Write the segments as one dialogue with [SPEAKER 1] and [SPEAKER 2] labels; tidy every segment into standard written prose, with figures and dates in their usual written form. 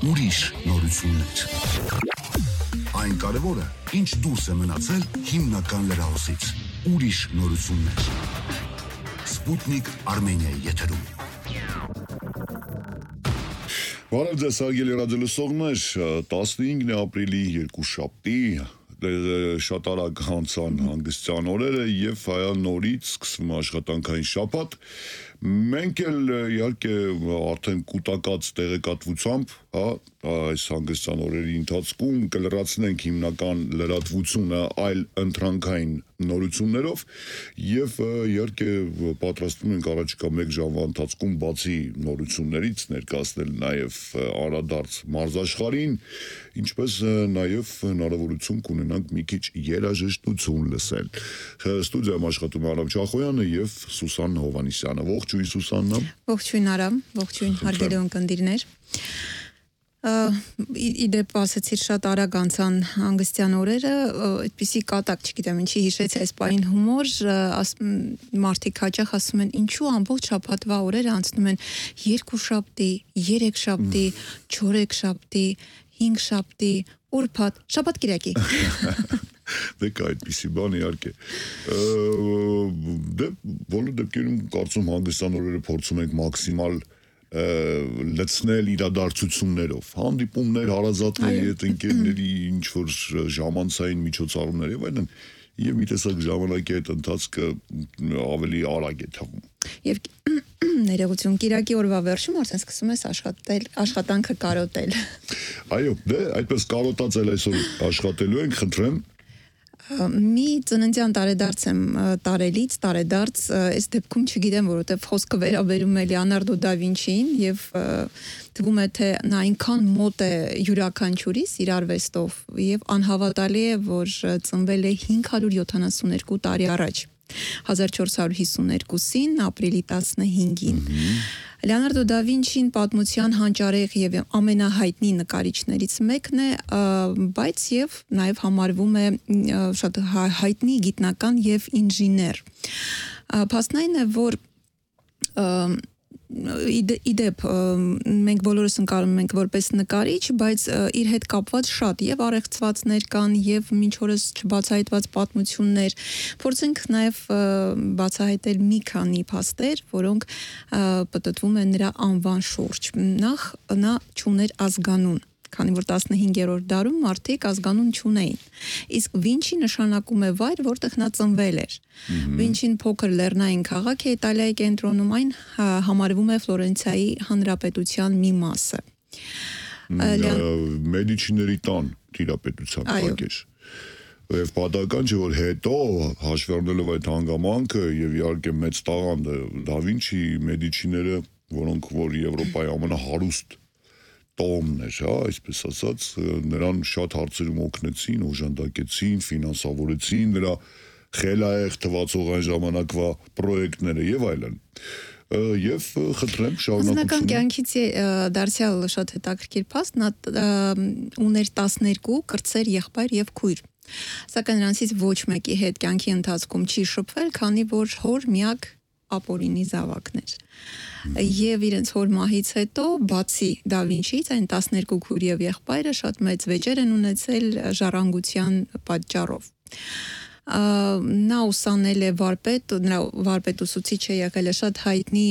[SPEAKER 1] ուրիշ նորություններ։ Այն կարևորը, ինչ դուրս է մնացել հիմնական լրահոսից։ Ուրիշ նորություններ։ Սպուտնիկ Արմենիայի եթերում։
[SPEAKER 2] Բարև ձեզ հարգելի ռադիոլսողներ, 15 ապրիլի երկուշաբթի շատ արագ անցան հանգստյան օրերը եւ հայա նորից սկսվում աշխատանքային շաբաթ։ Մենք էլ իհարկե արդեն կուտակած տեղեկատվությամբ, այս հանգստյան օրերի ընթացքում կլրացնենք հիմնական լրատվությունը այլ ընտրանքային նորություններով եւ իհարկե պատրաստվում ենք առաջիկա 1 ժամվա ընթացքում բացի նորություններից ներկայացնել նաեւ անդրադարձ մարզաշխարհին, ինչպես նաեւ հնարավորություն կունենանք մի քիչ երաժշտություն լսել։ Ստուդիայում աշխատում է Արամ Չախոյանը եւ Սուսան Հովանիսյանը։ Ողջույն Սուսաննա։
[SPEAKER 3] Ողջույն Արամ, ողջույն հարգելի ունկնդիրներ։ Իդեպ ասեցիր շատ արագ անցան հանգստյան օրերը, այդպիսի կատակ, չգիտեմ ինչի հիշեցի այս պահին հումոր, մարդիկ հաճախ ասում են ինչու ամբողջ շաբաթվա օրերը անցնում են 2 շաբթի, 3 շաբթի, 4 շաբթի, 5 շաբթի, ուրբաթ, շաբաթ կիրակի։
[SPEAKER 2] Դե կա այդպիսի բան իհարկե։ Դե բոլոր դեպքերում կարծում հանգստյան օրերը փորձում ենք մաքսիմալ լցնել իրադարձություններով, հանդիպումներ, հարազատների հետ, ընկերների ինչ-որ ժամանցային միջոցառումներ եւ այլն, եւ մի տեսակ ժամանակի այդ ընթացքը ավելի արագ է թվում։
[SPEAKER 3] Եվ ներողություն, կիրակի օրվա վերջում արդեն սկսում ես աշխատել, աշխատանքը կարոտել։
[SPEAKER 2] Այո, դե այդպես կարոտած էլ այսօր աշխատելու ենք, խնդրեմ։
[SPEAKER 3] Մի ծննդյան տարեդարձ եմ տարելից, տարեդարձ, այս դեպքում չգիտեմ, որովհետև խոսքը վերաբերում է Լեոնարդո դա Վինչիին եւ թվում է թե նա այնքան մոտ է յուրաքանչյուրիս իր արվեստով եւ անհավատալի է, որ ծնվել է 572 տարի առաջ, 1452-ին, ապրիլի 15-ին։ Լեոնարդո դա Վինչին պատմության հանճարեղ եւ ամենահայտնի նկարիչներից մեկն է, բայց եւ նաեւ համարվում է շատ հայտնի գիտնական եւ ինժեներ։ Փաստն այն է, որ իդեպ մենք բոլորս ընկալում ենք որպես նկարիչ, բայց իր հետ կապված շատ եւ առեղծվածներ կան եւ մինչ օրս չբացահայտված պատմություններ, փորձենք նաեւ բացահայտել մի քանի փաստեր, որոնք պտտվում են նրա անվան շուրջ։ Նախ նա չուներ ազգանուն, քանի որ 15-րդ դարում մարդիկ ազգանուն չունեին։ Իսկ Վինչի նշանակում է վայր, որտեղ նա ծնվել էր։ Վինչին փոքր լեռնային քաղաք է Իտալիայի կենտրոնում, այն համարվում է Ֆլորենցիայի հանրապետության մի մասը։
[SPEAKER 2] Մեդիչիների տան տիրապետության տակ էր։ Եվ պատահական չէ, որ հետո հաշվի առնելով այդ հանգամանքը եւ իհարկե մեծ տաղանդը դա Վինչի մեդիչիները, որոնք որ Եվրոպայի ամենահարուստ տոմներ, այսպես ասած, նրան շատ հարցերում օգնեցին, օժանդակեցին, ֆինանսավորեցին նրա խելահեղ թվացող այն ժամանակվա պրոյեկտները եւ այլն։ Եվ խնդրեմ շարունակություն։
[SPEAKER 3] Անձնական կյանքից դարձյալ շատ հետաքրքիր փաստ, նա ուներ 12 կրտսեր եղբայր եւ քույր։ Սակայն նրանցից ոչ մեկի հետ կյանքի ընթացքում չի շփվել, քանի որ հոր միակ ապօրինի զավակներ։ Եվ իրենց հոր մահից հետո, բացի դա Վինչիից, այն 12 քույր եւ եղբայրը շատ մեծ վեճեր են ունեցել ժառանգության պատճառով։ Նա ուսանել է վարպետ, նրա վարպետ ուսուցիչ է եղել է շատ հայտնի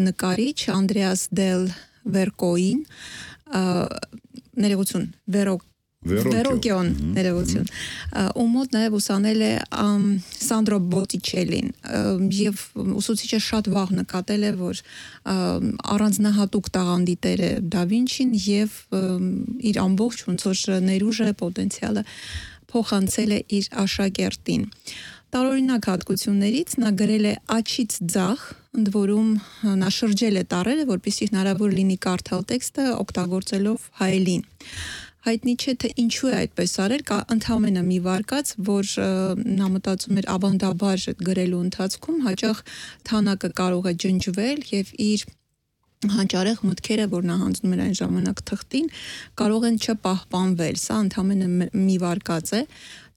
[SPEAKER 3] նկարիչ Անդրեաս դել Վերկոին, ներողություն, Վերոկիոն, ներողություն, ում մոտ նաև ուսանել է Սանդրո Բոտիչելին եւ ուսուցիչը շատ վաղ նկատել է, որ առանձնահատուկ տաղանդի տեր է դա Վինչին եւ իր ամբողջ ոնց որ ներուժը, պոտենցիալը փոխանցել է իր աշակերտին։ Տարօրինակ հատկություններից նա գրել է աչից ձախ, ընդ որում նա շրջել է տառերը, որպեսզի հնարավոր լինի կարդալ տեքստը օգտագործելով հայելին։ Հայտնի չէ թե ինչու է այդպես արել, կա ընդհանրապես մի վարկած, որ նա մտածում էր ավանդաբար գրելու ընթացքում հաճախ թանակը կարող է ջնջվել եւ իր հանճարեղ մտքերը, որ նա հանձնում էր այն ժամանակ թղթին, կարող են չպահպանվել։ Սա ընդհանրապես մի վարկած է,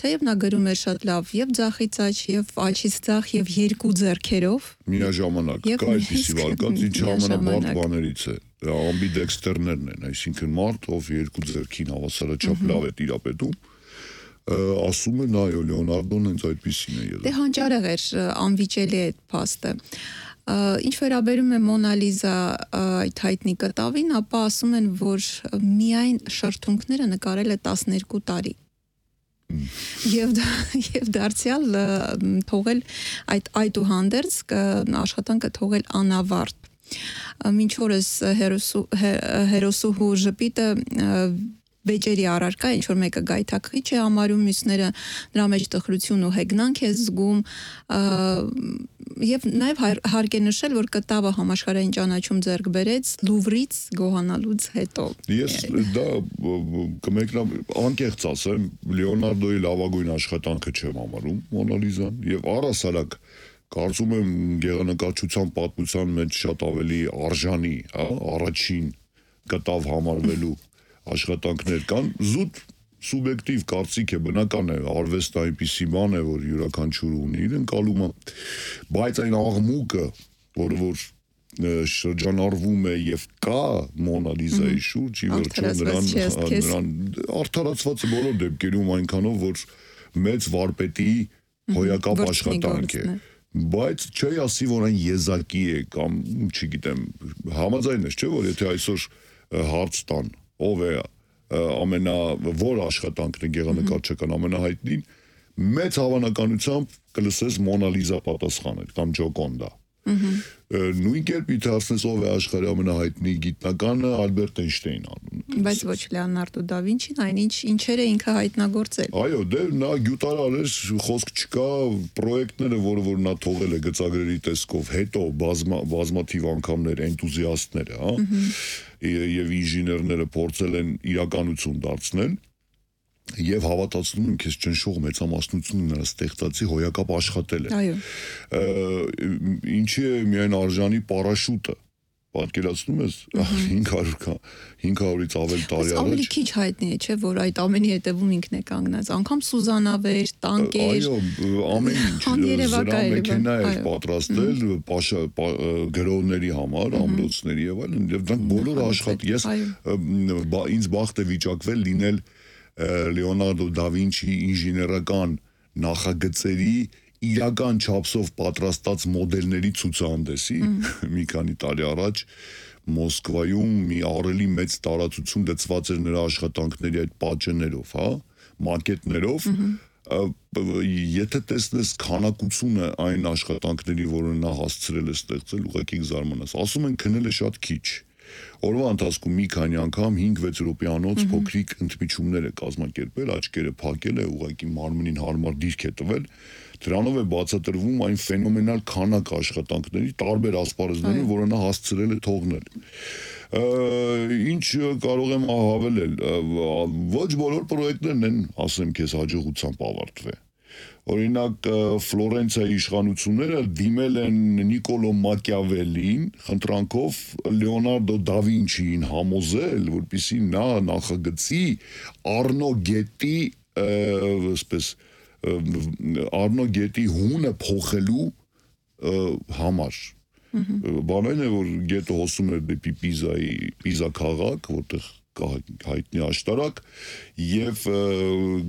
[SPEAKER 3] թեև նա գրում էր շատ լավ եւ ձախից աջ, եւ աջից ձախ, եւ երկու ձեռքերով։
[SPEAKER 2] Միաժամանակ, կա այդպիսի վարկած, ինչ ամենաբարդ բաներից է։ Ամբիդեքստերներն են, այսինքն մարդ, ով երկու ձեռքին հավասարաչափ լավ է տիրապետում, ասում են, այո, Լեոնարդոն հենց այդպիսին է եղել։
[SPEAKER 3] Դե հանճարեղ էր, անվիճելի է այդ փաստը։ Ինչ վերաբերում է Մոնա Լիզա այդ հայտնի կտավին, ապա ասում են, որ միայն շրթունքները նկարել է 12 տարի։ Եվ դարձյալ թողել այդուհանդերձ աշխատանքը թողել անավարտ։ Մինչ օրս հերոսուհու ժպիտը վեճերի առարկա, ինչ որ մեկը գայթակղիչ է համարում, մյուսները նրա մեջ տխրություն ու հեգնանք է զգում, եւ նաեւ հարկ է նշել, որ կտավը համաշխարհային ճանաչում ձեռք բերեց Լուվրից գոհանալուց հետո։
[SPEAKER 2] Ես դա կմեկնամ անկեղծ ասեմ, Լեոնարդոյի լավագույն աշխատանքը չեմ համարում Մոնա Լիզան, եւ առհասարակ կարծում եմ գեղանկարչության պատմության մեջ շատ ավելի արժանի, առաջին կտավ համարվելու աշխատանքներ կան, զուտ սուբյեկտիվ կարծիք է, բնական է, արվեստը այնպիսի բան է, որ յուրաքանչյուր ունի իր ընկալումը, բայց այն աղմուկը, որ շրջանառվում է եւ կա Մոնա Լիզայի շուրջ, ի վերջո նրան արդարացված է բոլոր դեպքերում այնքանով, որ մեծ վարպետի հոյակապ աշխատանք է։ Բայց չի ասի, որ այն եզակի է կամ չգիտեմ, համաձայն ես, չէ՞ որ եթե այսօր հարց տան ով է որ աշխատանքն է գեղանկարչական ամենահայտնին, մեծ հավանականությամբ կլսես Մոնա Լիզա պատասխանել կամ Ջոկոնդա։ Նույն կերպ իթարցնես ով է աշխարհի ամենահայտնի գիտնականը Ալբերտ Էյնշտեյնը։
[SPEAKER 3] Բայց ոչ Լեոնարդո դա Վինչին, այնինչ ինչեր է ինքը հայտնագործել։
[SPEAKER 2] Այո, դե նա գյուտարար էր, խոսք չկա, պրոյեկտները, որ նա թողել է գծագրերի տեսքով, հետո բազմաթիվ անգամներ էնտուզիաստները, եւ ինժեներները փորձել են իրականություն դարձնել եւ հավատացնում եմ քեզ ճնշող մեծամասնությունը նրա ստեղծածի հոյակապ աշխատել է։
[SPEAKER 3] Այո։
[SPEAKER 2] Ինչի է միայն արժանի պարաշուտը, պատկերացնում ես 500-ից ավել տարի առաջ։
[SPEAKER 3] Ավելի քիչ հայտնի է, չէ՞, որ այդ ամենի հետևում ինքն է կանգնած, անգամ Սուզանավեր, տանկեր։
[SPEAKER 2] Այո, ամեն ինչ զրամեքենա էր պատրաստել գրողների համար, ամրոցների եւ այլն, եւ դրանք բոլորը աշխատել։ Ես ինձ բախտ է վիճակվել լինել Լեոնարդո դա Վինչի ինժեներական նախագծերի իրական չափսով պատրաստած մոդելների ցուցահանդեսի մի քանի տարի առաջ Մոսկվայում մի ահռելի մեծ տարածություն գծված էր նրա աշխատանքների այդ պատճեններով, մակետներով, եթե տեսնես քանակությունը այն աշխատանքների, որը նա հասցրել է ստեղծել, ուղղակի կզարմանաս։ Ասում են քնել է շատ քիչ։ Օրվա ընթացքում մի քանի անգամ 5-6 րոպեանոց փոքրիկ ընդմիջումներ է կազմակերպել, աչքերը փակել է, ուղղակի մարմնին հարմար դիրք է տվել, դրանով է բացատրվում այն ֆենոմենալ քանակ աշխատանքների տարբեր ասպարեզներում, որը նա հասցրել է թողնել։ Ինչ կարող եմ հավելել, ոչ բոլոր պրոյեկտներն են, ասեմ քեզ, հաջողությամբ ավարտվել։ Օրինակ Ֆլորենցիայի իշխանությունները դիմել են Նիկոլո Մակիավելին խնդրանքով Լեոնարդո դա Վինչիին համոզել, որպեսզի նա նախագծի Արնո գետի հունը փոխելու համար։ Բանն է, որ գետը հոսում էր դեպի Պիզա քաղաք, որտեղ հայտնի աշտարակ եւ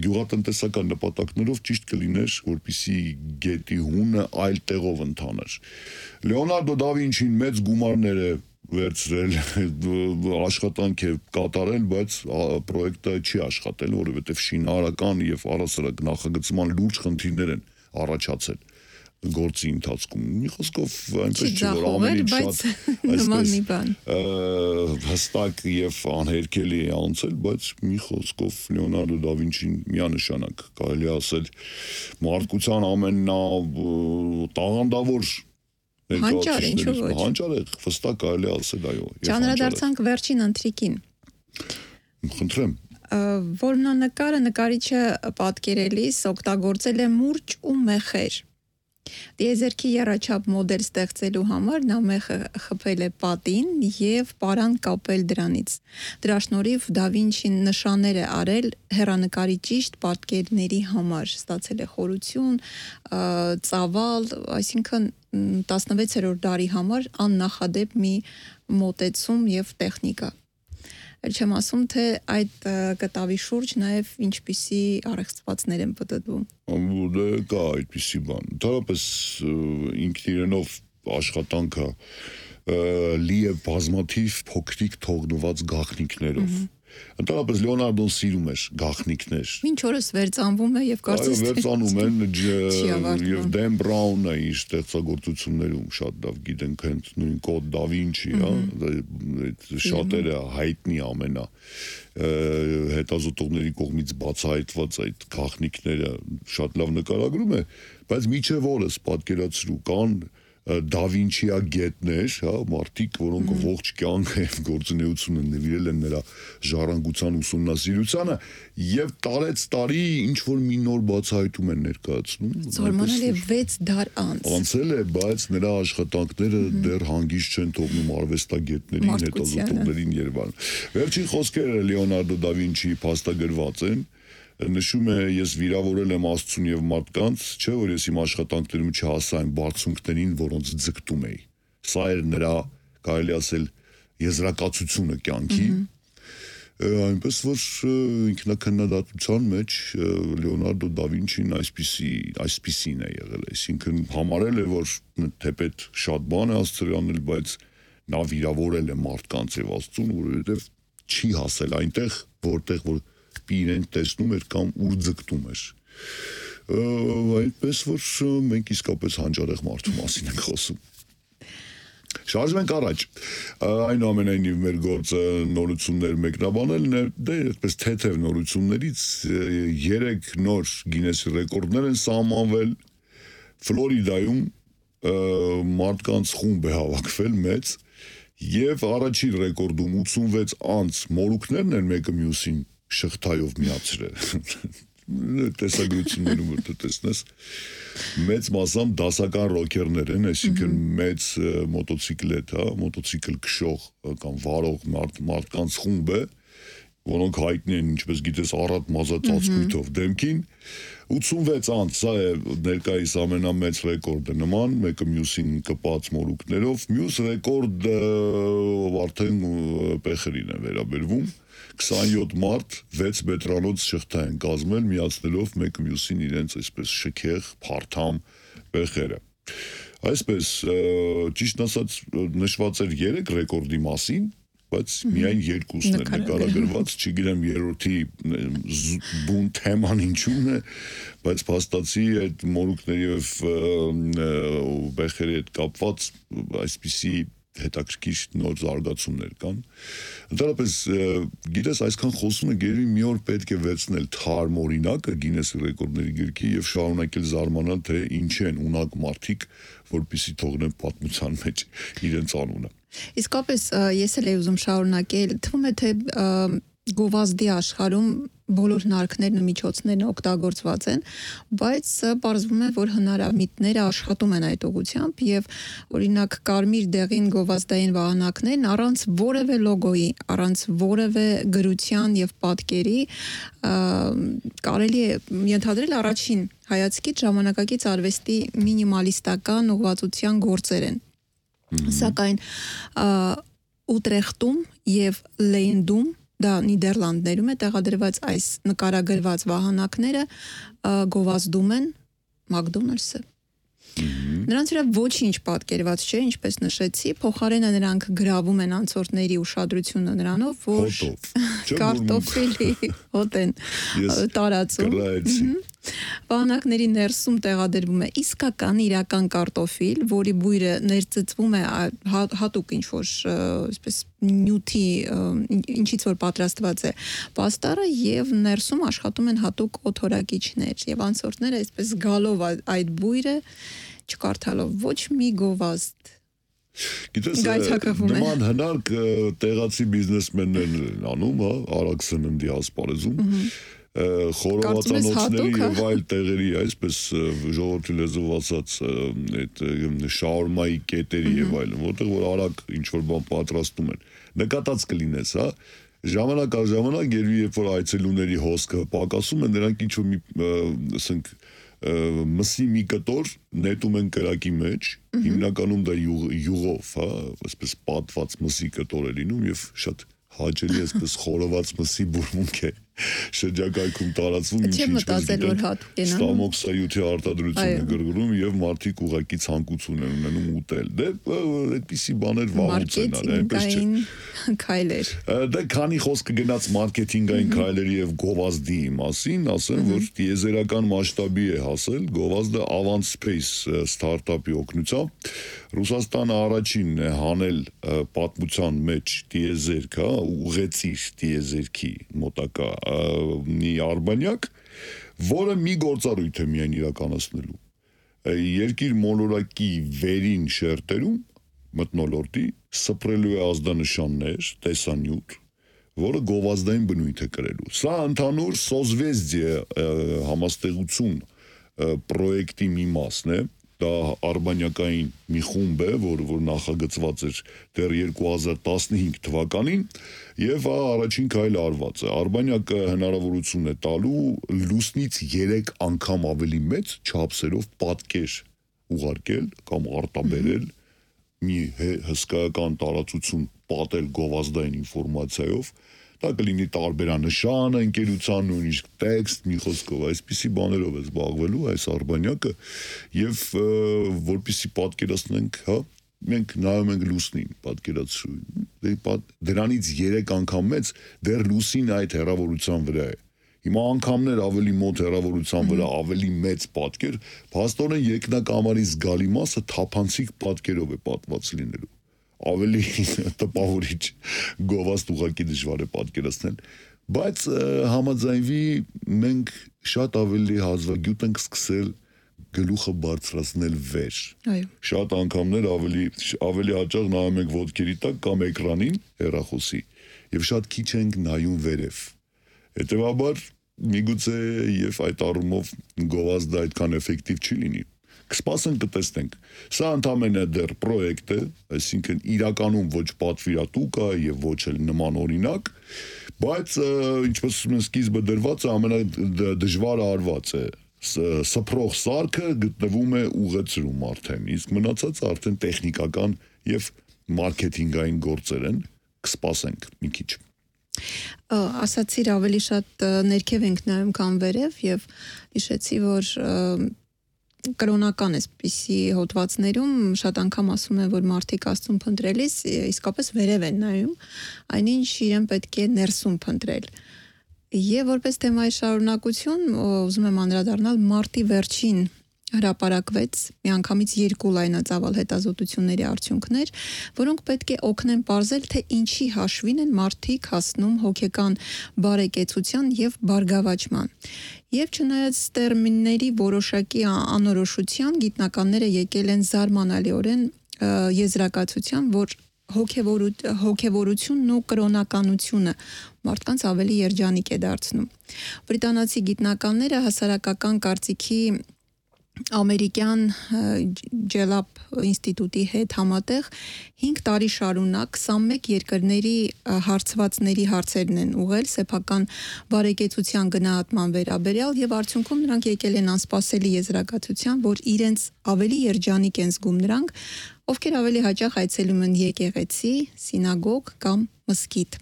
[SPEAKER 2] գյուղատնտեսական նպատակներով ճիշտ կլիներ, որպեսզի գետի հունը այլ տեղով ընթանար։ Լեոնարդո դա Վինչին մեծ գումարներ է վերցրել, աշխատանք է կատարել, բայց պրոյեկտը չի աշխատել, որովհետեւ շինարարական եւ առհասարակ նախագծման լուրջ խնդիրներ են առաջացել գործի ընթացքում։ Մի խոսքով այնպես չէ, որ ամեն ինչ շատ հստակ եւ անհերքելի է անցել, բայց մի խոսքով Լեոնարդո դա Վինչին միանշանակ կարելի է ասել մարդկության ամենատաղանդավոր
[SPEAKER 3] հանճար, ինչու ոչ։
[SPEAKER 2] Հանճար է, հստակ կարելի է ասել, այո։
[SPEAKER 3] Ճանրադարձանք վերջին ընթրիկին։
[SPEAKER 2] Խնդրեմ։
[SPEAKER 3] Որմնանկարը նկարիչը պատկերելիս օգտագործել է մուրճ ու մեխեր։ Տիեզերքի եռաչափ մոդել ստեղծելու համար նա մեղը խփել է պատին եւ պարան կապել դրանից։ Դրա շնորհիվ Դա Վինչին նշաններ է արել հեռանկարի ճիշտ պատկերների համար, ստացել է խորություն, ծավալ, այսինքն 16-րդ դարի համար աննախադեպ մի մոտեցում եւ տեխնիկա։ Չեմ ասում, թե այդ կտավի շուրջ նաև ինչպիսի առեղծվածներ են պատտվում։
[SPEAKER 2] Դե կա այդպիսի բան։ Դարապես ինքն իրենով աշխատանքը լի է բազմաթիվ փոքրիկ թողնված գաղտնիքներով։ Ընդհանրապես Լեոնարդոն սիրում էր գաղտնիքներ։
[SPEAKER 3] Մինչ օրս վերծանվում է եւ կարծես թե
[SPEAKER 2] վերծանում են եւ Դեն Բրաունը իր ստեղծագործություններում շատ լավ գիտենք հենց նույն կոդ Դա Վինչի, շատերը հայտնի ամենա հետազոտողների կողմից բացահայտված այդ գաղտնիքները շատ լավ նկարագրում է, բայց միջև օրս պատկերացրու կան Դա Վինչիագետներ, մարդիկ, որոնք ողջ կյանքը եւ գործունեությունը նվիրել են նրա ժառանգության ուսումնասիրությանը եւ տարեց տարի ինչ որ մի նոր բացահայտում են ներկայացնում։
[SPEAKER 3] Զարմանալի է 6 դար անց։
[SPEAKER 2] Անցել է, բայց նրա աշխատանքները դեռ հանգիստ չեն թողնում արվեստագետներին, հետազոտողներին եւ այլն։ Վերջին խոսքերը Լեոնարդո Դա Վինչիի փաստագրված են։ Նշում է, ես վիրավորել եմ Աստծուն եւ մարդկանց, չէ՞ որ ես իմ աշխատանքներում չհասա այն բարձունքներին, որոնց ձգտում էի։ Սա էր նրա, կարելի ասել, եզրակացությունը կյանքի։ Այնպես որ ինքնակնդատության մեջ Լեոնարդո Դա Վինչին այսպիսին է եղել, այսինքն համարել է, որ թեպետ շատ բան է Աստծո անել, բայց նա վիրավորել է մարդկանց եւ Աստծուն, որովհետեւ չի հասել այնտեղ, որտեղ որ իրեն տեսնում էր կամ ուր ձգտում էր։ Այդպես որ մենք իսկապես հանճարեղ մարդու մասին ենք խոսում։ Շարժվենք առաջ։ Այնուամենայնիվ մեր գործը նորություններ մեկնաբանելն է, դե այդպես թեթև նորություններից 3 նոր Գինեսի ռեկորդներ են սահմանվել։ Ֆլորիդայում մարդկանց խումբ է հավաքվել մեծ եւ առաջին ռեկորդում 86 անց մորուքներն են մեկը մյուսին շղթայով միացրել։ Տեսագրություններում որ տեսնես մեծ մասամբ դասական ռոքերներ են, այսինքն մեծ մոտոցիկլետ, մոտոցիկլ քշող կամ վարող մարդկանց խումբ է, որոնք հայտնի են, ինչպես գիտես, առատ մազածածկույթով դեմքին։ 86 անց, սա է ներկայիս ամենամեծ ռեկորդը նման, մեկը մյուսին կպած մորուքներով, մյուս ռեկորդը արդեն պեխերին է վերաբերվում։ 27 մարդ 6 մետրանոց շղթա են կազմել, միացնելով մեկը մյուսին իրենց այսպես շքեղ, փարթամ պեխերը։ Այսպես, ճիշտ ասած, նշված էր 3 ռեկորդի մասին, բայց միայն 2-ն է նկարագրված, չգիտեմ երրորդի բուն թեման ինչու՞ն է, բայց փաստացի այդ մորուքների եւ բեխերի հետ կապված այսպիսի հետաքրքիր նոր զարգացումներ կան։ Ընդհանրապես, գիտես, այսքան խոսում ենք, երևի մի օր պետք է վերցնել թարմ օրինակը Գինեսի ռեկորդների գրքի եւ շարունակել զարմանալ, թե ինչ են ունակ մարդիկ, որպեսզի թողնեն պատմության մեջ իրենց անունը։
[SPEAKER 3] Իսկապես ես էլ եի ուզում շարունակել, թվում է թե գովազդի աշխարհում բոլոր հնարքներն ու միջոցներն օգտագործված են, բայց պարզվում է, որ հնարամիտները աշխատում են այդ ուղղությամբ եւ օրինակ կարմիր դեղին գովազդային վահանակներն առանց որևէ լոգոյի, առանց որևէ գրության եւ պատկերի կարելի է ենթադրել առաջին հայացքից ժամանակակից արվեստի մինիմալիստական ուղղվածության գործեր են։ Սակայն Ուտրեխտում եւ Լեյնդում, դա Նիդերլանդներում է տեղադրված այս նկարագրված վահանակները գովազդում են Մակդոնալդսը։ Նրանց վրա ոչինչ պատկերված չէ, ինչպես նշեցի, փոխարենը նրանք գրավում են անցորդների ուշադրությունը նրանով, որ կարտոֆիլի հոտ են տարածում։ Վահանակների ներսում տեղադրվում է իսկական իրական կարտոֆիլ, որի բույրը ներծծվում է հատուկ ինչ-որ այսպես նյութի, ինչից որ պատրաստված է պաստառը եւ ներսում աշխատում են հատուկ օթորակիչներ եւ անցորդները այսպես գալով այդ բույրը չկարդալով ոչ մի գովազդ
[SPEAKER 2] Գիտես, նման հնարք տեղացի բիզնեսմեններն են անում, արագ սննդի ասպարեզում, խորովածանոցների եւ այլ տեղերի, այսպես ժողովրդի լեզվով ասած, այդ շաուրմայի կետերի եւ այլն, որտեղ որ արագ ինչ որ բան պատրաստում են։ Նկատած կլինես, հա, ժամանակ առ ժամանակ երբ որ այցելուների հոսքը պակասում է, նրանք ինչ որ մի, ասենք, մսի մի կտոր նետում են կրակի մեջ, հիմնականում դա յուղով, հա, այսպես պատված մսի կտոր է լինում եւ շատ հաճելի է այսպես խորոված մսի բուրմունք է շրջակայքում տարածվում,
[SPEAKER 3] ինչպես գիտենք,
[SPEAKER 2] ստամոքսայութի արտադրություն է գրգռում եւ մարդիկ ուղղակի ցանկություն են ունենում ուտել։ Դե այդպիսի բաներ վաղուց են արել, այնպես չէ։
[SPEAKER 3] Քայլեր։
[SPEAKER 2] Դե քանի խոսքը գնաց մարքեթինգային քայլերի եւ գովազդի մասին, ասեմ, որ տիեզերական մասշտաբի է հասել գովազդը Avant Space ստարտափի օգնությամբ։ Ռուսաստանը առաջինն է հանել պատմության մեջ տիեզերք, հա, ուղեցիր տիեզերքի մոտակա մի արբանյակ, որը մի գործառույթ է միայն իրականացնելու։ Երկիր մոլորակի վերին շերտերում մթնոլորտի սփռելու է ազդանշաններ, տեսանյութ, որը գովազդային բնույթ է կրելու։ Սա ընդհանուր սոզվեզդիե համաստեղություն պրոյեկտի մի մասն է, դա արբանյակային մի խումբ է, որ նախագծված էր դեռ 2015 թվականին եւ առաջին քայլը արված է։ Արբանյակը հնարավորություն է տալու լուսնից 3 անգամ ավելի մեծ չափսերով պատկեր ուղարկել կամ արտաբերել մի հսկայական տարածություն պատել գովազդային ինֆորմացիայով, դա կլինի տարբերանշան ընկերության, նույնիսկ տեքստ, մի խոսքով, այսպիսի բաներով է զբաղվելու այս արբանյակը եւ որպեսզի պատկերացնենք, հա, մենք նայում ենք լուսնին, պատկերացրու, դրանից 3 անգամ մեծ դեռ լուսինը այդ հեռավորության վրա է։ Հիմա անգամներ ավելի մոտ հեռավորության վրա ավելի մեծ պատկեր, փաստորեն երկնակամարի զգալի մասը թափանցիկ պատկերով է պատված լինելու։ Ավելի տպավորիչ գովազդ ուղղակի դժվար է պատկերացնել, բայց համաձայնվի մենք շատ ավելի հազվագյուտ ենք սկսել գլուխը բարձրացնել վեր։
[SPEAKER 3] Այո։
[SPEAKER 2] Շատ անգամներ ավելի հաճախ նայում ենք ոտքերի տակ կամ էկրանին հեռախոսի եւ շատ քիչ ենք նայում վերև։ Հետևաբար միգուցե եւ այդ առումով գովազդը այդքան էֆեկտիվ չի լինի։ Կսպասենք կտեսնենք։ Սա ընդամենը դեռ պրոյեկտ է, այսինքն իրականում ոչ պատվիրատուկ է եւ ոչ էլ նման օրինակ, բայց ինչպես սկիզբը դրված է, ամենադժվարը արված է։ Սփռող սարքը գտնվում է ուղեցրում արդեն, իսկ մնացածը արդեն տեխնիկական եւ մարքեթինգային գործեր են։ Կսպասենք մի քիչ։
[SPEAKER 3] Ասացիր ավելի շատ ներքև ենք նայում քան վերև եւ հիշեցի, որ կրոնական էսպիսի հոդվածներում շատ անգամ ասում են, որ մարդիկ Աստծուն փնտրելիս իսկապես վերև են նայում, այնինչ իրեն պետք է ներսում փնտրել։ Եվ որպես թեմայի շարունակություն ուզում եմ անդրադառնալ մարտի վերջին հրապարակվեց միանգամից 2 լայնածավալ հետազոտությունների արդյունքներ, որոնք պետք է օգնեն պարզել, թե ինչի հաշվին են մարդիկ հասնում հոգեկան բարեկեցության եւ բարգավաճման։ Եվ չնայած տերմինների որոշակի անորոշության, գիտնականները եկել են զարմանալիորեն եզրակացության, որ հոգևորությունն ու կրոնականությունը մարդկանց ավելի երջանիկ է դարձնում։ Բրիտանացի գիտնականները հասարակական կարծիքի ամերիկյան Ջելապ ինստիտուտի հետ համատեղ 5 տարի շարունակ 21 երկրների հարցվածների հարցերն են ուղղել սեփական բարեկեցության գնահատման վերաբերյալ եւ արդյունքում նրանք եկել են անսպասելի եզրակացության, որ իրենց ավելի երջանիկ են զգում նրանք, ովքեր ավելի հաճախ այցելում են եկեղեցի, սինագոգ կամ մզկիթ։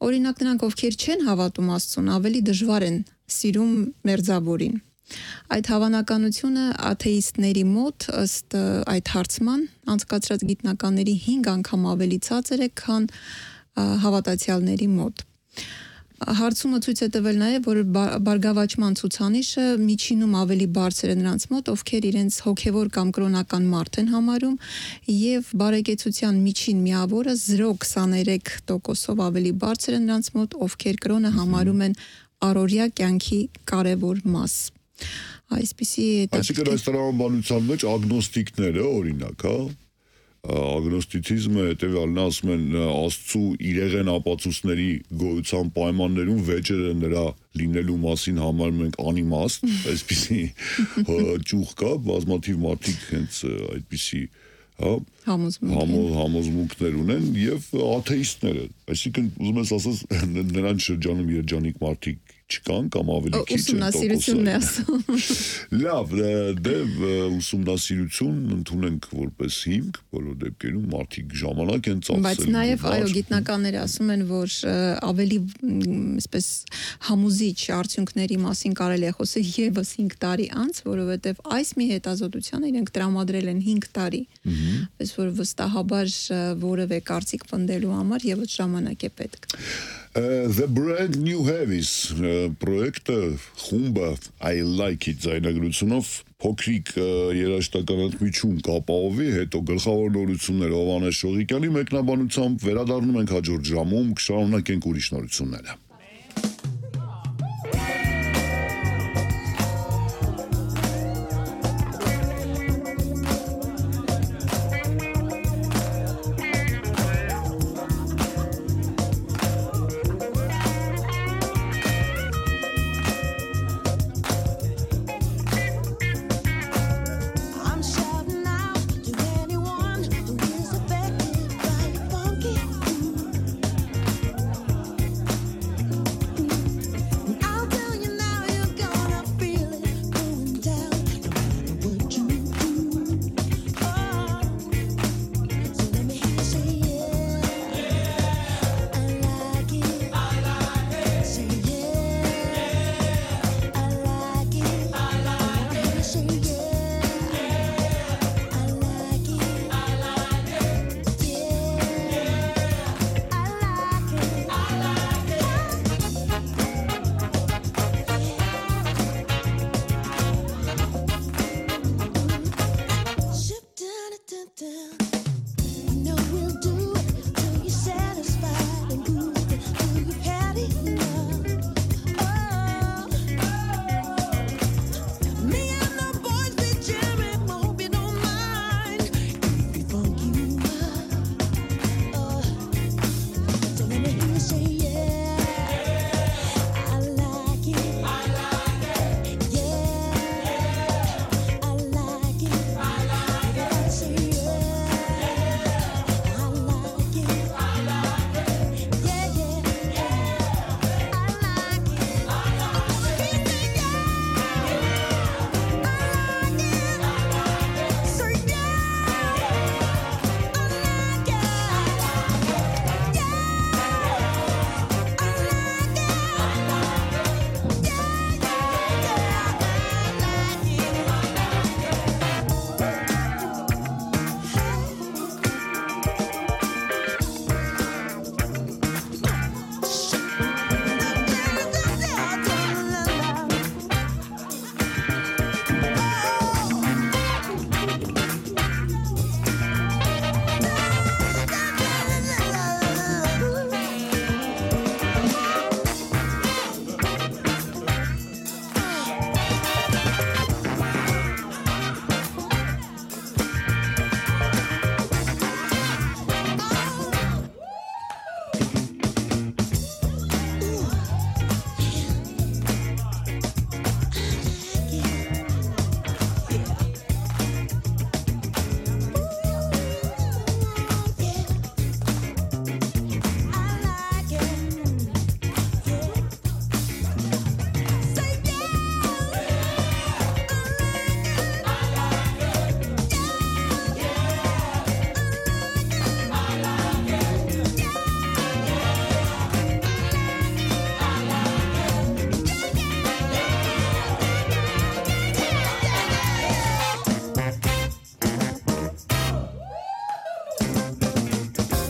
[SPEAKER 3] Օրինակ նրանք, ովքեր չեն հավատում Աստծուն, ավելի դժվար են սիրում մերձավորին։ Այդ հավանականությունը աթեիստների մոտ ըստ այդ հարցման անցկացրած գիտնականների 5 անգամ ավելի ցածր է, քան հավատացյալների մոտ։ Հարցումը ցույց է տվել նաև, որ բարգավաճման ցուցանիշը միջինում ավելի բարձր է նրանց մոտ, ովքեր իրենց հոգևոր կամ կրոնական մարդ են համարում, եւ բարեկեցության միջին միավորը 0.23%-ով ավելի բարձր է նրանց մոտ, ովքեր կրոնը համարում են առօրյա կյանքի կարևոր մաս։ Այսպիսի
[SPEAKER 2] Այսինքն այս տրամաբանության մեջ ագնոստիկները, օրինակ, հա, ագնոստիցիզմը հետևյալն է, ասում են Աստծու իրեղեն ապացույցների գոյության պայմաններում վեճերը նրա լինելու մասին համարում ենք անիմաստ, այսպիսի ճյուղ կա, բազմաթիվ մարդիկ հենց այդպիսի համոզմունքներ ունեն եւ աթեիստները, այսինքն ուզում ես ասած նրանց շրջանում երջանիկ մարդիկ չկան կամ ավելի քիչ են
[SPEAKER 3] ուսումնասիրությունն է ասում։
[SPEAKER 2] Լավ, դե ուսումնասիրություն ընդունենք որպես հիմք, բոլոր դեպքերում մարդիկ ժամանակ են ծախսել։
[SPEAKER 3] Բայց նաև այո, գիտնականները ասում են, որ ավելի այսպես համոզիչ արդյունքների մասին կարելի է խոսել եւս 5 տարի անց, որովհետեւ այս մի հետազոտության իրենք տրամադրել են 5 տարի։ Պես որ վստահաբար որևէ կարծիք պնդելու համար եւս ժամանակ է պետք։
[SPEAKER 2] The Brand New Heavies պրոյեկտը խումբը I Like It ձայնագրությունով փոքրիկ երաժշտական ընդմիջում կապահովի, հետո գլխավոր նորությունները Հովհաննես Շողիկյանի մեկնաբանությամբ վերադառնում ենք հաջորդ ժամում, կշարունակենք ուրիշ նորությունները։